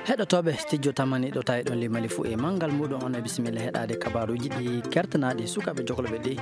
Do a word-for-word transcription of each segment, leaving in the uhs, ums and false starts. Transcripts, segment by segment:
Heɗotooɓe studio tamani ɗo tawi ɗon limali fuu e manngal muɗum on e bisimilla heɗaade kabaruuji ɗi kertanaaɗi sukaaɓe jokolɓe ɗi.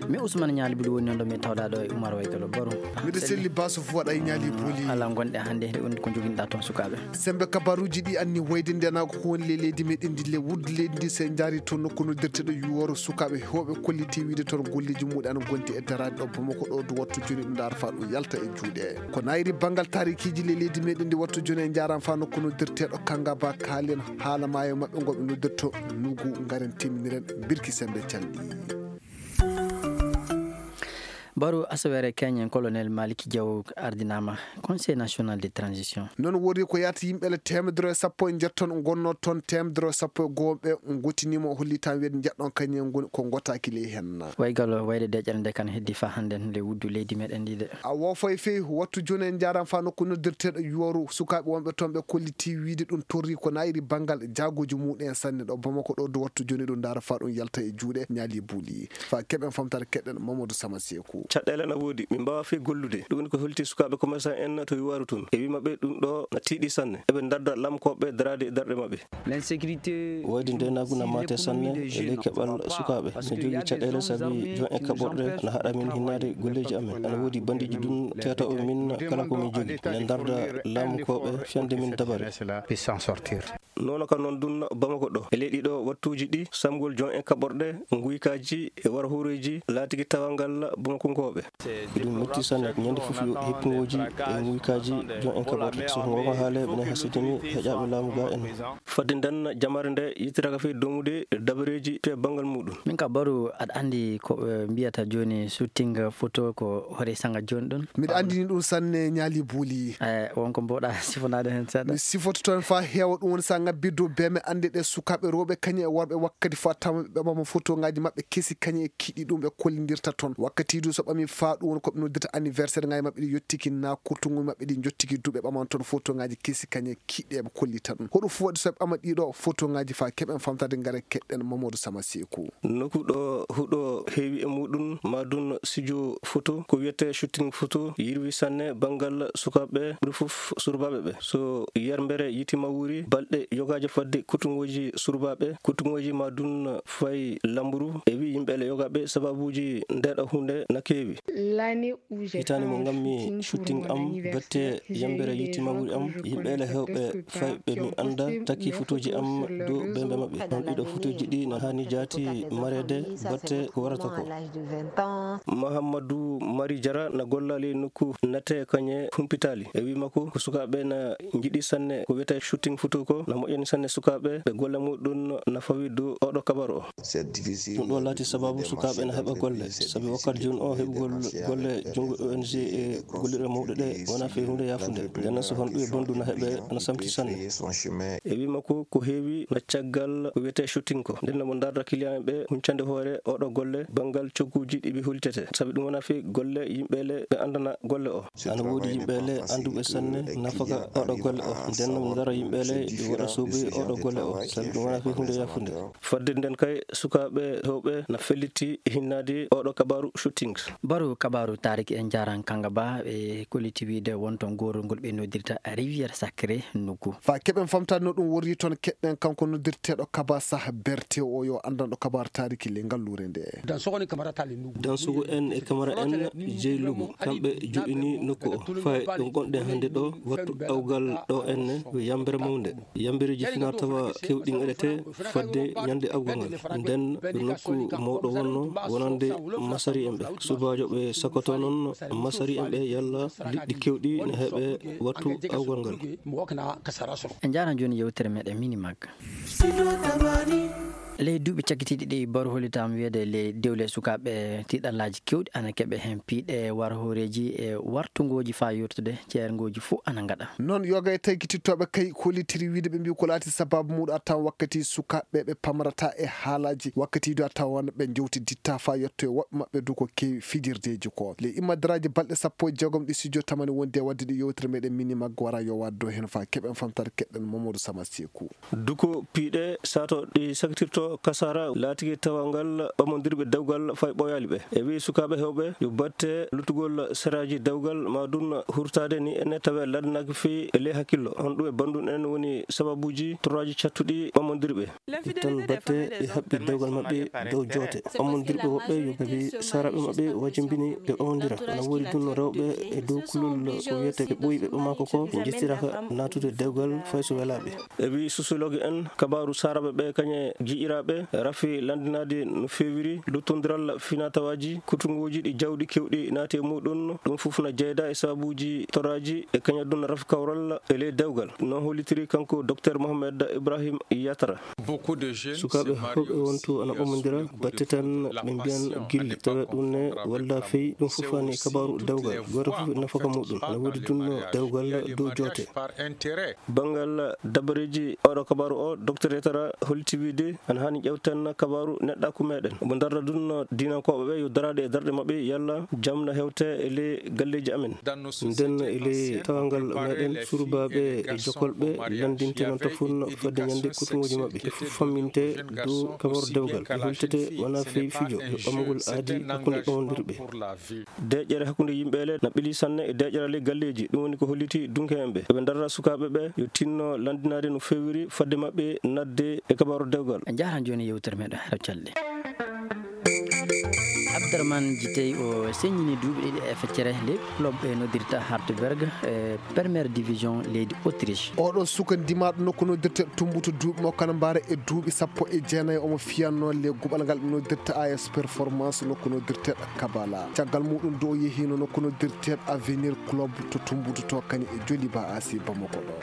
Mi Usman Ñaali Buli woni noon ɗo mi tawɗaa ɗo e Umar Waygalo Baru. Miɗo selli baso fuu waɗa e Ñaali Buli. Alaa ngonɗe hannde nde woni ko njoginɗaa toon sukaaɓe. Sembe kabaruuji ɗi anni wayde ndenaako ko woni le leydi meɗen ndi le wudde leydi ndi se njaari toon nokku noddirteɗo yuworo sukaaɓe heewɓe kolliti wiide toon golleeji muɗum ana gondi e daraade ɗo Bamako ɗo du wattu jooni ɗum ndaar faa ɗum yalta e juuɗe. Ko nayri banngal taarikiiji le leydi meɗen ndi wattu jooni e njaaraama faa nokku noddirteeɗo Kangaba kaalen haala maayo maɓɓe ngo ɓe noddirto nugu ngaren teminiren birki sembe calɗi. Baro asawere Kenyan colonel Maliki Diaw ardinama Conseil national de transition. Noon wori ko yahata yimɓe le teemedere e sappo e njetton ngonno toon teemedere e sappo e goo ɓe ngottinimo holli tan wiyde njeɗɗon kañum ngoni ko ngotaaki ley hen. Waygal wayde deƴƴere nde kan heddi fa hannde nde wuddu leydi meɗen ndi de. A woofay fey wattu jooni en njaaraama faa nokku noddirteeɗo yuwaru sukaaɓe wonɓe toon ɓe kolliti wiide ɗum torri ko nayri banngal jaagooji muɗum en sanne ɗo Bamako ɗo du wattu jooni ɗum ndaara faa ɗum yalta e juuɗe Ñaali Buli. Faa keɓen famtaare keɗen Mamadou Sama Seeku. Caɗeele na woodi, min mbaawaa fey gollude. Ɗum woni ko holti sukaaɓe commerçant en to yuwaru toon. E wii maɓɓe ɗum ɗo na tiiɗi sanne. Eɓe ndarda lamkooɓe daraade e darɗe maɓɓe. Wayde ndeenaagu na maate sanne e ley keɓal sukaaɓe. Min njogii caɗeele sabi joom en kaɓorɗe na haɗa min hinnaade golleeji amen. Ana woodi banndiiji ɗum teetooɓe min kala ko min njogii. Min ndarda lamkooɓe fiyande min dabare. Noon ka noon ɗum Bamako ɗo. E ley ɗiɗo wattuuji ɗi, samgol joom en kaɓorɗe, nguykaaji e warhooreeji laatiki tawal ngal Bamakonkooɓe. Ɗum metti sanne, ñande fof yo heppingooji e nguykaaji joom en kaɓorɗe. So ko ngonka haale, minen hasidini heƴaaɓe laamu ga en. Fadde nden jamare nde yettiraka fey domude dabareeji to e banngal muɗum. Min ka Baru, aɗa anndi ko, eh, mbiyata jooni shooting photo ko hore sanga jooni ɗum? Miɗa anndini ɗum sanne Ñaali Buli. Eh, wonko mboɗa sifonaade heen seeɗa? Mi sifoto toon faa heewa, ɗum woni so a ŋabbii dow beeme annde ɗe sukaaɓe rewɓe kañum e worɓe wakkati faa tawa ɓe ɓama fotongaaji maɓɓe kesi kañum e kiɗi ɗum ɓe kollindirta toon. Wakkati du so ɓami faa ɗum woni ko ɓe noddirta anniversaire ngaaji maɓɓe ɗi yottiki naa kurtunguuji maɓɓe ɗi njottiki du ɓe ɓaman toon fotongaaji kesi kañum e kiɗi ɓe kollita ɗum. Hoɗum fof waɗi so ɓe ɓama ɗiɗo fotongaaji faa keɓen famtaade ngare keɗɗen Mamadou Sama Seeku. Nokku ɗo huɗo heewi e muɗum, maa ɗum studio photo, ko wiyetee shooting photo, yirwi sanne banngal sukaaɓe, ɓuri fof surbaaɓe ɓe. So yermbere yitima wuuri, balɗe yogaaji fadde kutungooji surbaaɓe, kutungooji maa ɗum fay lamburu, e wi yimɓe le yogaaɓe sababuuji ndeeɗo huunde na keewi. Hitaande mo ngammi shooting am, batte yambere yitima wuuri am, yimɓe le heewɓe fayɓe mi annda takki fotooji am dow beembe maɓɓe. Ɗon ɗiɗo fotooji ɗi na haani jaati mareede batte ko warata ko. Mahamadou Mari Jara na golla ley nokku nate kañe humpitaali. E wi makko ko sukaaɓe na njiɗi sanne ko wiyetee shooting photo ko na moƴƴani sanne sukaaɓe ɓe golle muɗum na fawi dow oɗo kabaru o. Ɗum ɗo laati sababu sukaaɓe na heɓa golle, sabi wakkati jooni o heɓugol golle junngo O N G e gollirɗe mawɗe ɗe wonaa fey huunde yaafunde. Nden noon so honɗum e bondu na heɓe ana samti sanne. E wi makko ko heewi na caggal ko wiyetee shooting ko. Nden no mo ndarda client ɓe huncande hoore oɗo golle banngal cogguuji ɗi ɓe hollitetee. Sabi ɗum wonaa fey golle yimɓe le ɓe anndana golle o. Ana woodi yimɓe le annduɓe sanne nafaka oɗo golle o. Nden no mo ndara yimɓe le ɗi waɗa soobi oɗo golle o. Sabi ɗum wonaa fey huunde yaafunde. Fadde nden kay, sukaaɓe heewɓe na felliti hinnaade oɗo kabaaru shooting. Baru kabaaru taariki en njaran kanga ba e kolliti wiide won toon goorol ngol ɓe noddirta Rivière Sacrée nuggu. Faa keɓen famtaade no ɗum worri toon, keɗɗen kanko noddirteeɗo Kaba Sah Berte o yo anndanɗo kabaaru taariki le ngalluure nde. Dansogo en e Kamara en jeyi Lugu, kamɓe joɗini nokku o. Fay ɗo ngonɗen hannde ɗo, wattu awgal ɗo enne, ko yambere mawnde. Yambereeji fina tawa kewɗi ngaɗete fadde ñande awgal ngal. Nden ko nokku mawɗo wonno wonande masari en ɓe. Subaajo ɓe sakoto noon masari en ɓe yalla liɗɗi kewɗi ne heɓe wattu awgal ngal. En njaran jooni yewtere meɗen Minimag. Ley duuɓi cakkitiiɗi ɗi, Baru hollitaama wiyeede ley dewle sukaaɓe tiiɗallaaji keewɗi ana keɓe heen piiɗe, war hooreeji e wartungooji faa yurtude ceerngooji fof ana ngaɗa. Noon yoga e taykitittooɓe kay kollitiri wiide ɓe mbi ko laati sababu muɗum a tawan wakkati sukaaɓe ɓe pamrata e haalaaji, wakkati du a tawan ɓe njewtiditta faa yetto e woɓɓe maɓɓe du ko keewi fijirdeeji ko. Ley immadaraaji balɗe sappo e jeegom ɗi studio tamani wondi e waɗde ɗi yewtere meɗen Minimag wara yo waɗ dow heen faa keɓen famtaare keɗɗen Mamadou Sama Seeku. Duko piiɗe sato ɗi sakitirto Kasara laatike tawangal ɓamondirɓe dewgal fay ɓooyaali ɓe. E wi'i sukaaɓe heewɓe yo batte luttugol seraaji dewgal ma ɗun hurtaade ni ene tawe laddanaaki fii e ley hakkillo. Honɗum e banndun en woni sababuuji torraaji cattuɗi ɓamondirɓe? Ittan batte e haɓɓi dewgal maɓɓe dow joote. Ɓamondirɓe woɓɓe yo ɓe saraaɓe maɓɓe wajimbini ɓe ɓamondira. Ana woodi ɗun rewɓe e dow kulol ko wiyetee ɓe ɓooyi ɓe ɓamaako ko ɓe njettiraka naatude dewgal fay so welaaɓe. E wi'i sosiologue en, kabaaru saraaɓe ɓe kañe giƴiraaɓe rafi lanndinaade no feewiri luttondiral finatawaaji, kutungooji ɗi jawɗi kewɗi naati e muɗun. Ɗun fof na jeyda e sababuuji torraaji e kañe ɗun rafi kawral e ley dewgal. No hollitiri kanko Doktor Mohamed Ibrahim Yatara. Sukaaɓe heewɓe wontu ana ɓamondira batte tan ɓe mbiyan gilli. Tawa ɗun ne walla fey ɗun fof ani kabaaru dewgal. Gooto fof e nafaka muɗun. Ana woodi ɗun dewgal dow joote. Banngal dabareeji oɗo kabaaru o, Doktor Yatara holliti wiide ana haani ƴewten kabaaru neɗɗaaku meɗen. Omo darra ɗun diinankooɓe ɓe yo daraade e darɗe maɓɓe yalla jam na hewte e ley galleeji amen. Nden e ley tawangal meɗen surubaaɓe e jokolɓe lanndinte non tafun fadde ñande kutungooji maɓɓe. Ɓe fof famminte dow kabaaru dewgal. Ɓe hultete wona fii fijo, yo ɓamgol aadi hakkunde ɓamondirɓe. Deeƴere hakkunde yimɓe ele na ɓili sanne e deeƴere ley galleeji. Ɗun woni ko holliti dunkeeɓe ɓe. Eɓe darra sukaaɓe ɓe yo tinno lanndinaade no feewiri fadde maɓɓe nadde e kabaaru dewgal. En jaaraama jooni e yewtere meɗen Hara Calɗi. Abderman Jitey o seññini duuɓi ɗiɗi e feccere ley club ɓe noddirta Hartberg e première division leydi Autriche. Oɗo suka ndimaaɗo nokku noddirte Tumbutu duuɓi makko kana mbaara e duuɓi sappo e jeenayi omo fiyannoo le guɓal ngal ɓe noddirta A S Performance nokku noddirte Kabala. Caggal muɗum do o yehiino nokku noddirte Avenir Club to Tumbutu to kañum e Joliba A C Bamako ɗo.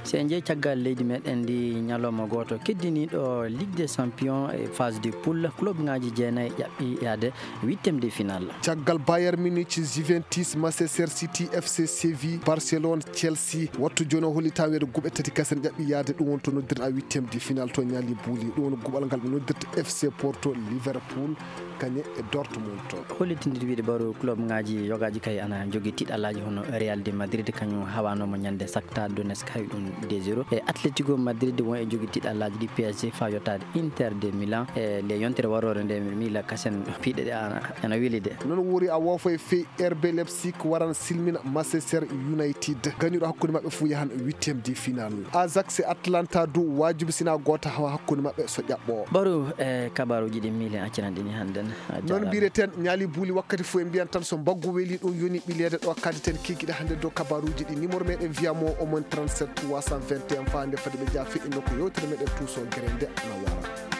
So en njehii caggal leydi meɗen ndi, ñalawma gooto keddiniiɗo Ligue des Champions e phase de poule, club ŋaaji jeenayi ƴaɓɓi yaade huitième de finale. Caggal Bayern Munich, Juventus, Manchester City, F C Séville, Barcelone, Chelsea, wattu jooni o hollitaa weedo guɓe tati kese ne ƴaɓɓi yaade, ɗum woni to noddirta huitième de finale to ñaali buuli. Ɗum woni guɓal ngal ɓe noddirta F C Porto, Liverpool, kañe e Dortmund. Hollitindir wiide baro club ŋaaji yogaaji kay ana jogii tiiɗalaaji hono Real de Madrid, kañum hawanooma ñande Shakhtar Donetsk, hawi ɗum deux zéro. E Atletico Madrid won e jogii tiiɗalaaji ɗi P S G faa yottaade Inter de Milan. E le yontere waroore nde Mila Kasen piiɗe ɗe ana, ana weli de. Non wori a woofo e fey R B Leipzig waran silmina Manchester United. Gañuɗo hakkunde maɓɓe fuu yahan huitième de finale. Ajax e Atlanta du waajibi sina goota hawa hakkunde maɓɓe so ƴaɓɓo. Baro e kabaruuji ɗi miilen accinan ɗini hannden. Non mbireten ñaali buuli wakkati fuu e mbiyan tan so mbaggu weli ɗum yoni ɓileede ɗo kaditen kikiɗe hannde dow kabaruuji ɗi. Numéro meɗen wiya mo omon trente-sept trois cent vingt et un faa nde fadi ɓe jaa feɗɗi nokku yewtere meɗen tuuso gere nde na wara.